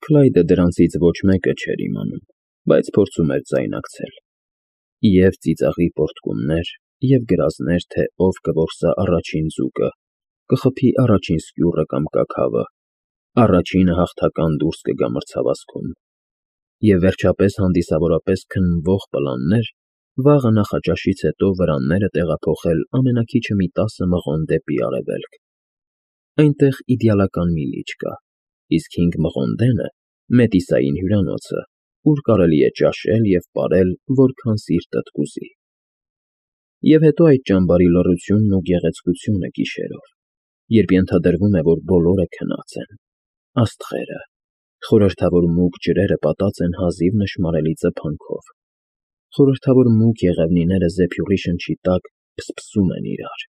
Քլայդը դրանցից ոչ մեկը չէր իմանում, բայց փորձում էր ձայնարկել. և ծիծաղի պոռթկումներ, և գրազներ, թե ով կորսա առաջին ձուկը, կխփի առաջին սկյուռը կամ կաքավը, առաջինը հաղթական դուրս կգա մրցավազքում, և վերջապես հանդիսավորապես քննվող պլաններ վաղը նախաճաշից հետո վրանները տեղափոխել ամենաքիչը մի 10 մղոն դեպի արևելք. այնտեղ իդեալական մի լիճ կա, իսկ 5 մղոնդենը Մետիսային հյուրանոցը, ուր կարելի է ճաշել և պարել որքան սիրտդ կուզի։ Եվ հետո այդ ճամբարի լռությունն ու գեղեցկությունը գիշերով, երբ ենթադրվում է, որ բոլորը քնած են, աստղերը, խորհրդավոր մուգ ջրերը պատած են հազիվ նշմարելի ծփանքով, խորհրդավոր մուգ եղևնիները զեփյուռի շնչի տակ փսփսում են իրար,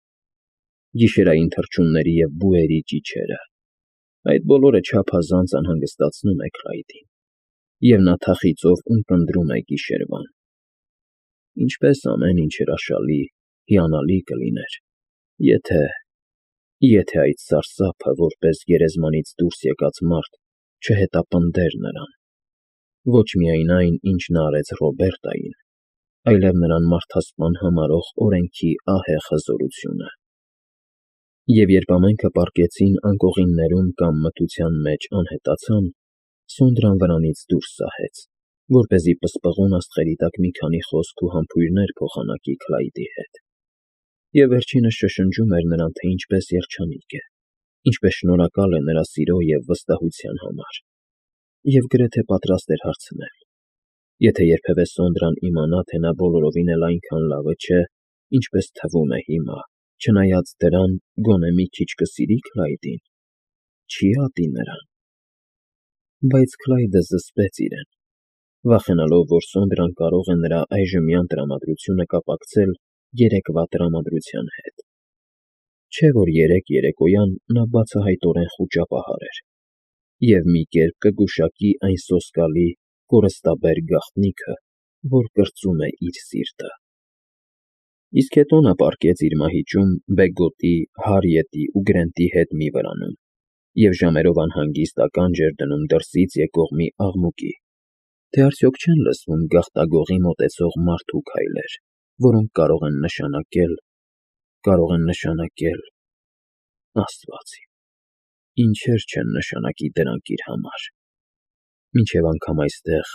գիշերային թռչունների և բուերի ճիչերը, այդ բոլորը չափազանց անհանգստացնում է Քլայդին, և նա թախիծով ունկնդրում է գիշերվան. ինչպես ամեն ինչ հրաշալի, հիանալի կլիներ, եթե այդ սարսափը, որպես գերեզմանից դուրս եկած մարդ, չհետապնդեր նրան, ոչ միայն այն, ինչ նա արեց Ռոբերտային, այլև նրան մարդասպան համարող օրենքի ահեղ հզորությունը։ Եվ երբ ամենքը պառկեցին անկողիններում կամ մթության մեջ անհետացան, Սոնդրան վրանից դուրս սահեց, որպեսզի պսպղուն աստղերի տակ մի քանի խոսք ու համբույրներ փոխանակի Քլայդի հետ, և վերջինս շշնջում էր նրան, թե ինչպես երջանիկ է, ինչպես շնորհակալ է նրա սիրո և վստահության համար, և գրեթե պատրաստ էր հարցնել. եթե երբևէ Սոնդրան իմանա, թե նա բոլորովին էլ այնքան լավը չէ, ինչպես թվում է հիմա, չնայած դրան գոնե մի քիչ կսիրի Քլայդին, չի՞ ատի նրան։ Բայց Քլայդը զսպեց իրեն, վախենալով, որ Սոնդրան կարող է նրա այժմյան տրամադրությունը կապակցել երեկվա տրամադրության հետ։ Չէ՞ որ երեկ երեկոյան նա բացահայտորեն խուճապահար էր, և մի կերպ կգուշակի այն սոսկալի, կորստաբեր գաղտնիքը, որ կրծում է իր սիրտը։ Իսկ հետո նա պառկեց իր մահիճում Բեգոտի, Հարիետի ու Գրենտի հետ մի վրանում և ժամերով անհանգիստ ականջ էր դնում դրսից եկող մի աղմուկի, թե արդյոք չեն լսվում գաղտագողի մոտեցող մարդու քայլեր, որոնք կարող են նշանակել… Աստված իմ, ինչեր չեն նշանակի դրանք իր համար, մինչև անգամ այստեղ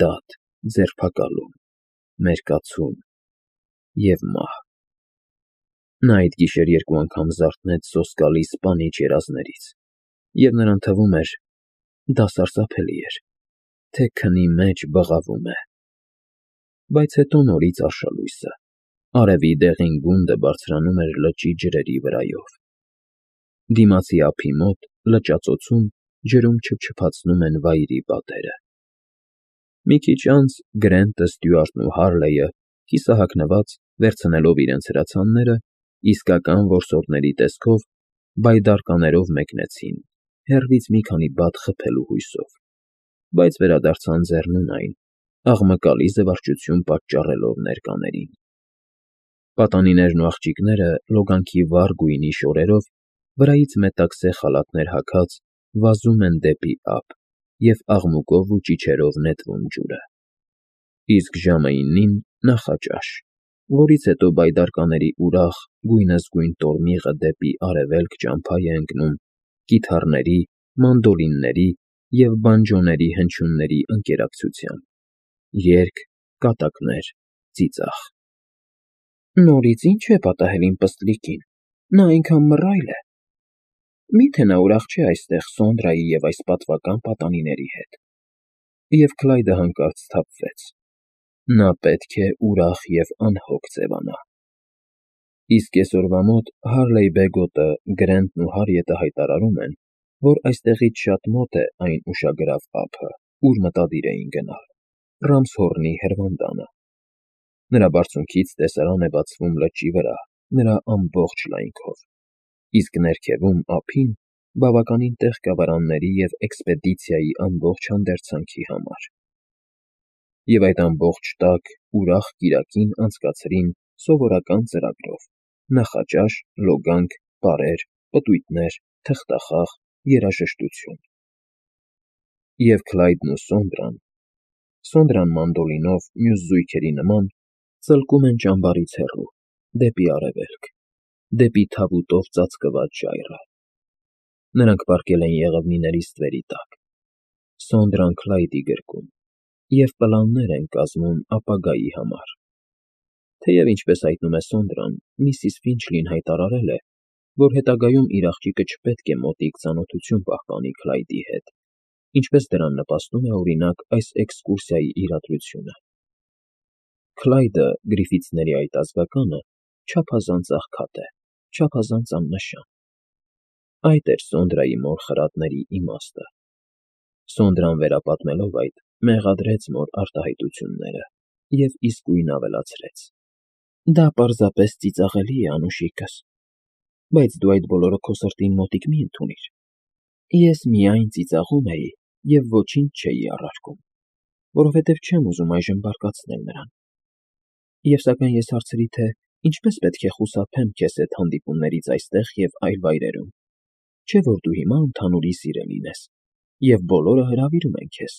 դատ, ձերբակալում, մերկացում և մահ… Նա այդ գիշեր 2 անգամ զարթնեց սոսկալի սպանիչ երազներից, և նրան թվում էր, դա սարսափելի էր, թե քնի մեջ բղավում է… Բայց հետո նորից արշալույսը, արևի դեղին գունդը բարձրանում էր լճի ջրերի վրայով։ Դիմացի ափի մոտ, լճածոցում, ջրում չփչփացնում են վայրի պատերը։ Մի քիչ անց Գրենտը, Ստյուարտն ու Հարլեյը, կիսահագնված, վերցնելով իրենց հրացանները, իսկական որսորդների տեսքով, բայդարկաներով մեկնեցին, հեռվից մի քանի բադ խփելու հույսով, բայց վերադարձան ձեռնունայն, աղմկալի զվարճություն պատճառելով ներկաներին։ Պատանիներն ու աղջիկները լոգանքի վառ գույնի շորերով, վրայից մետաքսե խալաթներ հագած, վազում են դեպի ափ և աղմուկով ու ճիչերով նետվում ջուրը։ Իսկ ժամը 9-ին նախաճաշ, որից հետո բայդարկաների ուրախ, գույնզգույն տորմիղը դեպի արևելք ճամփա է ընկնում կիթառների, մանդոլինների և բանջոների հնչյունների ընկերակցությամբ, երգ, կատակներ, ծիծաղ։ Նորից ի՞նչ է պատահել իմ պստլիկին, նա այնքան մռայլ է… Մի՞թե նա ուրախ չէ այստեղ Սոնդրայի և այս պատվական պատանիների հետ… Եվ Քլայդը հանկարծ սթափվեց… Նա պետք է ուրախ և անհոգ ձևանա… Իսկ կեսօրվա մոտ Հարլեյ֊Բեգոտը, Գրենտն ու Հարիետը հայտարարում են, որ այստեղից շատ մոտ է այն ուշագրավ ափը, ուր մտադիր էին գնալ, Ռամսհորնի հրվանդանը։ Նրա բարձունքից տեսարան է բացվում լճի վրա նրա ամբողջ լայնքով, իսկ ներքևում, ափին, բավականին տեղ կա վրանների և էքսպեդիցիայի ամբողջ հանդերձանքի համար։ Եվ այդ ամբողջ տաք, ուրախ կիրակին անցկացրին սովորական ծրագրով՝ նախաճաշ, լոգանք, պարեր, պտույտներ, թղթախաղ, երաժշտություն։ Եվ Քլայդն ու Սոնդրան մանդոլինով մյուս զույգերի նման, ծլկում են ճամբարից հեռու, դեպի արևելք, դեպի թավուտով ծածկված ժայռը։ Նրանք պառկել են եղևնիների ստվերի տակ, Սոնդրան Քլայդի գրկում, և պլաններ են կազմում ապագայի համար։ Թեև, ինչպես հայտնում է Սոնդրան, միսիս Ֆինչլին հայտարարել է, որ հետագայում իր աղջիկը չպետք է մոտիկ ծանոթություն պահպանի Քլայդի հետ, ինչպես դրան նպաստում է, օրինակ, այս էքսկուրսիայի իրադրությունը։ Քլայդը, Գրիֆիթսների այդ ազգականը, չափազանց աղքատ է, չափազանց աննշան։ Այդ էր Սոնդրայի մոր խրատների իմաստը։ Սոնդրան վերապատմելով այդ, մեղադրեց մոր արտահայտությունները և իսկույն ավելացրեց. «Դա պարզապես ծիծաղելի է, Անուշիկս, բայց դու այդ բոլորը քո սրտին մոտիկ մի ընդունիր։ Ես միայն ծիծաղում էի և ոչինչ չէի առարկում, որովհետև չեմ ուզում այժմ բարկացնել նրան։ Եվ սակայն ես հարցրի, թե ինչպես պետք է խուսափեմ քեզ հետ հանդիպումներից այստեղ և այլ վայրերում, չէ՞ որ դու հիմա ընդհանուրի սիրելին ես, և բոլորը հրավիրում են քեզ։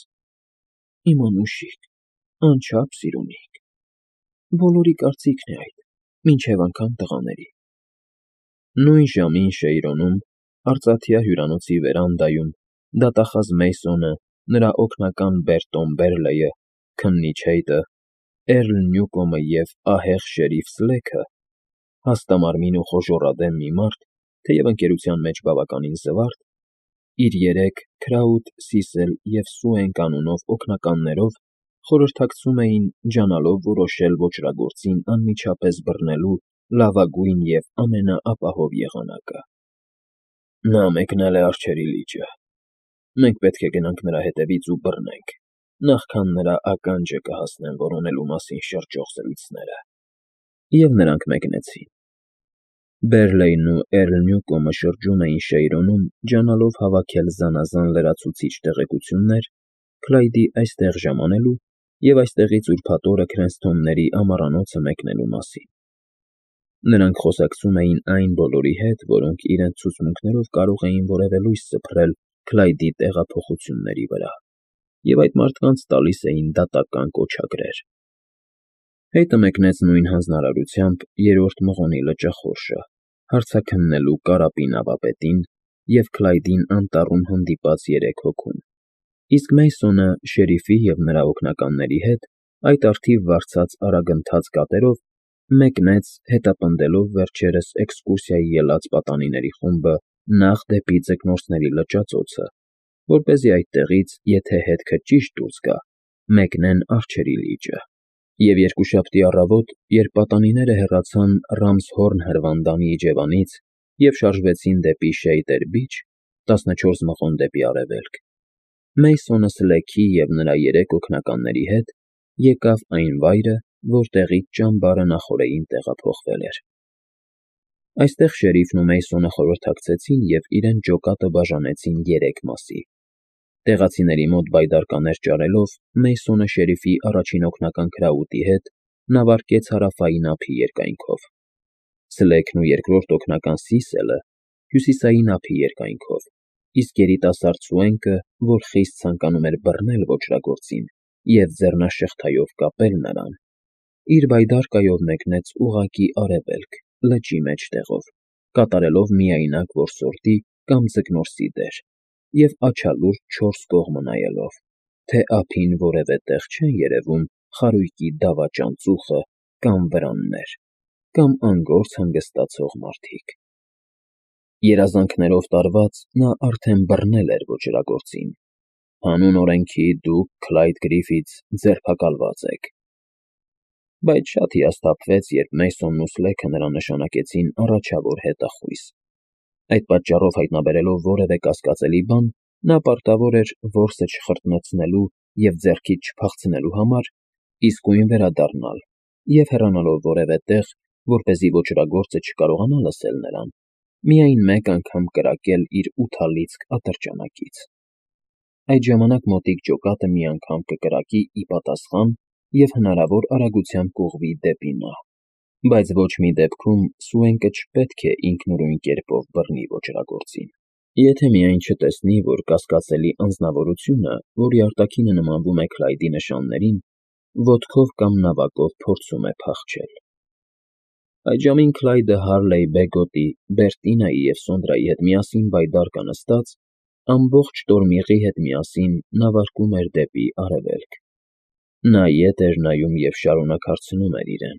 Իմ Անուշիկ, անչափ սիրունիկ։ Բոլորի կարծիքն է այդ, մինչև անգամ տղաների»։ Նույն ժամին Շեյրոնում, արծաթյա հյուրանոցի վերանդայում, դատախազ Մեյսոնը, նրա օգնական Բերտոն Բերլեյը, քննիչ Հեյթը, Էռլ Նյուկոմը և ահեղ շերիֆ Սլեգը, հաստամարմին ու խոժոռադեմ մի մարդ, թեև ընկերության մեջ բավականին զվարթ, իր 3 Քրաութ, Սիսել և Սուեն կանունով օգնականներով խորհրդակցում էին ջանալով որոշել ոճրագործին անմիջապես բռնելու լավագույն և ամենաապահով եղանակը։ «Նա մեկնել է արջերի լիճը։ Մենք պետք է գնանք նրա հետևից ու բռնենք, նախքան նրա ականջը կհասնեն որոնելու մասին շրջող զրույցները»։ Եվ նրանք մեկնեցին։ Բերլեյն ու Էռլ Նյուկոմը շրջում էին Շեյրոնում, ջանալով հավաքել զանազան լրացուցիչ տեղեկություններ Քլայդի այստեղ ժամանելու և այստեղից ուրբաթ օրը Քրենսթոնների ամառանոցը մեկնելու մասին։ Նրանք խոսակցում էին այն բոլորի հետ, որոնք իրենց ցուցմունքներով կարող էին որևէ լույս սփռել Քլայդի տեղափոխությունների վրա, և այդ մարդկանց տալիս էին դատական կոչագրեր։ Հեյթը մեկնեց նույն հանձնարարությամբ 3-րդ մղոնի լճախորշը, հարցաքննելու Կարապի նավապետին և Քլայդին անտառում հանդիպած 3 հոգուն, իսկ Մեյսոնը շերիֆի և նրա օգնականների հետ այդ առթիվ վարձած արագընթաց կատերով մեկնեց, հետապնդելով վերջերս էքսկուրսիայի ելած պատանիների խումբը նախ դեպի Ձկնորսների լճածոցը, որպեսզի այդտեղից, եթե հետքը ճիշտ դուրս գա, մեկնեն Արջերի լիճը։ Եվ երկուշաբթի առավոտ, երբ պատանիները հեռացան Ռամզհորն հրվանդանի իջևանից և շարժվեցին դեպի Շեյդեր Բիչ, 14 մղոն դեպի արևելք, Մեյսոնը Սլեգի և նրա 3 օգնականների հետ եկավ այն վայրը, որտեղից ճամբարը նախօրեին տեղափոխվել էր։ Այստեղ շերիֆն ու Մեյսոնը խորհրդակցեցին և իրենց ջոկատը բաժանեցին 3 մասի։ Տեղացիների մոտ բայդարկաներ ճարելով, Մեյսոնը շերիֆի առաջին օգնական Քրաութի հետ նավարկեց հարավային ափի երկայնքով, Սլեգն ու երկրորդ օգնական Սիսելը՝ հյուսիսային ափի երկայնքով, իսկ երիտասարդ Սուենկը, որ խիստ ցանկանում էր բռնել ոճրագործին և ձեռնաշղթայով կապել նրան, իր բայդարկայով մեկնեց ուղղակի արևելք, լճի մեջտեղով, կատարելով միայնակ որսորդի կամ ձկնորսի դեր և աջալուրջ 4 կողմը նայելով, թե ափին որևէ տեղ չեն երևում խարույկի դավաճան ծուխը կամ վրաններ, կամ անգործ հանգստացող մարդիկ։ Երազանքներով տարված՝ նա արդեն բռնել էր ոճրագործին։ Հանուն օրենքի դուք, Քլայդ Գրիֆիթս, ձերբակալված եք։ Բայց շատ հիասթափվեց, երբ Մեյսոնն ու Սլեգը նրան նշանակեցին առաջավոր հետախույզ։ Այդ պատճառով հայտնաբերելով որևէ կասկածելի բան, նա պարտավոր էր որսը չխրտնեցնելու և ձեռքից չփախցնելու համար իսկույն վերադառնալ և հեռանալով որևէ տեղ, որպեսզի ոճրագործը չկարողանա լսել նրան, միայն մեկ անգամ կրակել իր ութալիցք ատրճանակից։ Այդ ժամանակ մոտիկ ջոկատը մի անգամ կկրակի ի պատասխան և հնարավոր արագությամբ կուղղվի դեպի նա, բայց ոչ մի դեպքում Սուենկը չպետք է ինքնուրույն կերպով բռնի ոճրագործին։ Եթե միայն չտեսնի, որ կասկածելի անձնավորությունը, որի արտաքինը նմանվում է Քլայդի նշաններին, ոտքով կամ նավակով փորձում է փախչել։ Այդ ժամին Քլայդը Հարլեյ Բեգոտի, Բերտինայի և Սոնդրայի հետ միասին բայդարկա նստած, ամբողջ տորմիղի հետ միասին նավարկում էր դեպի արևելք։ Նա ետ էր նայում և շարունակ հարցնում էր իրեն.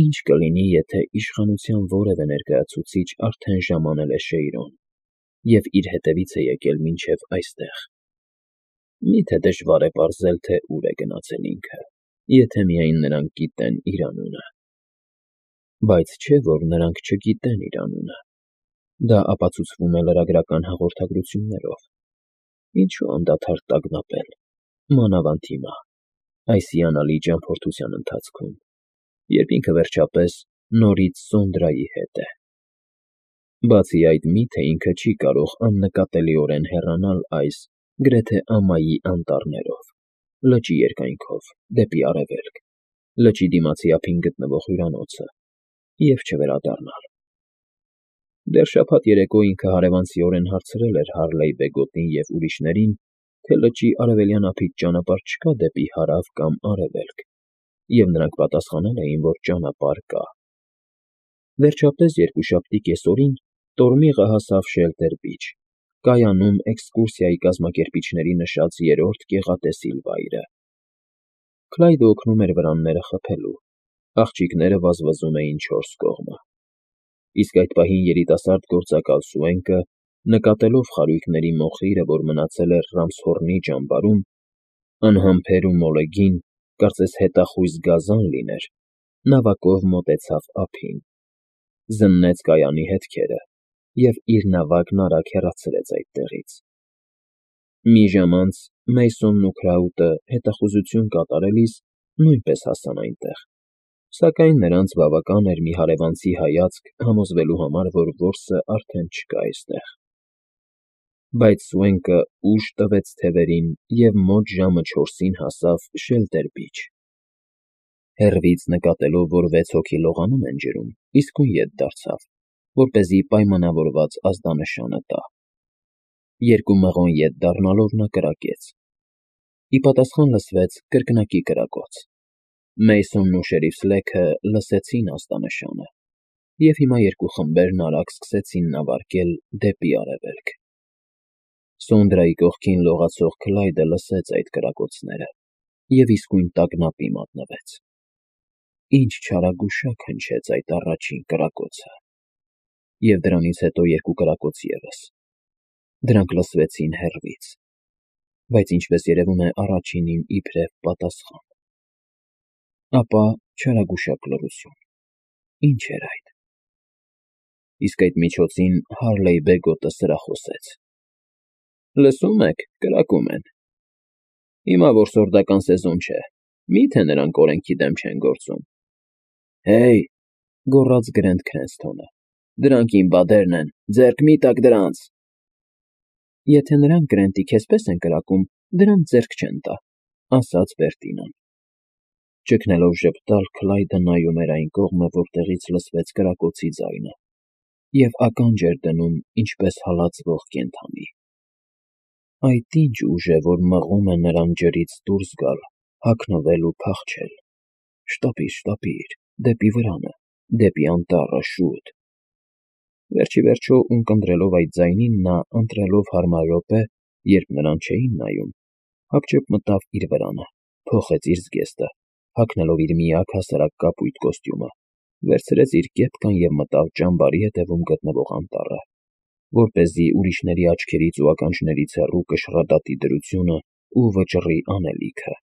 ինչ կլինի, եթե իշխանության որևէ ներկայացուցիչ արդեն ժամանել է Շեյրոն և իր հետևից է եկել մինչև այստեղ։ Մի՞թե դժվար է պարզել, թե ուր է գնացել ինքը, եթե միայն նրանք գիտեն իր անունը։ Բայց չէ՞ որ նրանք չգիտեն իր անունը։ Դա ապացուցվում է լրագրական հաղորդագրություններով։ Ինչու անդադար տագնապել, մանավանդ հիմա, այս հիանալի ճամփորդության ընթացքում, երբ ինքը վերջապես նորից Սոնդրայի հետ է։ Բացի այդ, մի՞թե ինքը չի կարող աննկատելիորեն հեռանալ այս գրեթե ամայի անտառներով, լճի երկայնքով, դեպի արևելք, լճի դիմացի ափին գտնվող հյուրանոցը և չվերադառնալ։ Դեռ շաբաթ երեկո ինքը հարևանցիորեն հարցրել էր Հարլեյ Բեգոտին և ուրիշներին, թե լճի արևելյան ափից ճանապարհ չկա դեպի հարավ կամ արևելք, և նրանք պատասխանել էին, որ ճանապարհ կա։ Վերջապես երկուշաբթի կեսօրին տորմիղը հասավ Շելտեր Բիչ, կայանում էքսկուրսիայի կազմակերպիչների նշած երրորդ գեղատեսիլ վայրը։ Քլայդը օգնում էր վրանները խփելու, աղջիկները վազվզում էին չորս կողմը։ Իսկ այդ պահին երիտասարդ գործակալ Սուենկը, նկատելով խարույկների մոխիրը, որ մնացել էր Ռամսհորնի ճամբարում, անհամբեր ու մոլեգին, կարծես հետախույզ գազան լիներ, նավակով մոտեցավ ափին, զննեց կայանի հետքերը և իր նավակն արագ հեռացրեց այդտեղից։ Մի ժամ անց Մեյսոնն ու Քրաուտը հետախուզություն կատարելիս նույնպես հասան այնտեղ, սակայն նրանց բավական էր մի հարևանցի հայացք համոզվելու համար, որ որսը արդեն չկա այստեղ։ Բայց Սուենկը ուժ տվեց թևերին և մոտ ժամը 4-ին հասավ Շելտեր Բիչ։ Հեռվից նկատելով, որ 6 հոգի լողանում են ջրում, իսկույն ետ դարձավ, որպեսզի պայմանավորված ազդանշանը տա։ Երկու մղոն ետ դառնալով նա կրակեց։ Ի պատասխան լսվեց կրկնակի կրակոց։ Մեյսոնն ու շերիֆ Սլեքը լսեցին ազդանշանը, և հիմա երկու խմբերն արագ սկսեցին նավարկել դեպի արևելք։ Սոնդրայի կողքին լողացող Քլայդը լսեց այդ կրակոցները և իսկույն տագնապի մատնվեց։ Ինչ չարագուշակ հնչեց այդ առաջին կրակոցը։ Եվ դրանից հետո երկու կրակոց ևս։ Դրանք լսվեցին հեռվից, բայց ինչպես երևում է առաջինին իբրև պատասխան։ Ապա չարագուշակ լռություն։ Ինչ էր այդ։ Իսկ այդ միջոցին Հարլեյ Բեգոտը սրախոսեց. Լսում եք, կրակում են։ Հիմա որ սորդական սեզոն չէ, մի՞թե նրանք օրենքի դեմ չեն գործում։ Հեյ, գոռաց Գրենտ Քրենսթոնը, դրանք իմ բադերն են, ձեռք մի տաք դրանց։ Եթե նրանք Գրենտի քեզ պես են կրակում, դրանց ձեռք չեն տա, ասաց Բերտինան։ Ճգնելով ժպտալ, Քլայդը նայում էր այն կողմը, որտեղից լսվեց կրակոցի ձայնը, և ականջ էր դնում ինչպես հալածվող կենդանի։ Այդ ինչ ուժ է, որ մղում է նրան ջրից դուրս գալ, հագնվել ու փախչել։ Շտապիր, դեպի վրանը, դեպի անտառը, շուտ։ Վերջիվերջո, ունկնդրելով այդ ձայնին, նա, ընտրելով հարմար րոպե, երբ նրան չէին նայում, հապճեպ մտավ իր վրանը, փոխեց իր զգեստը, հագնելով իր միակ հասարակ կապույտ կոստյումը, վերցրեց իր կեպկան և մտավ ճամբարի ետևում գտնվող անտառը, որպեսզի ուրիշների աչքերից ու ականջներից հեռու կշռադատի դրությունն ու վճռի անելիքը։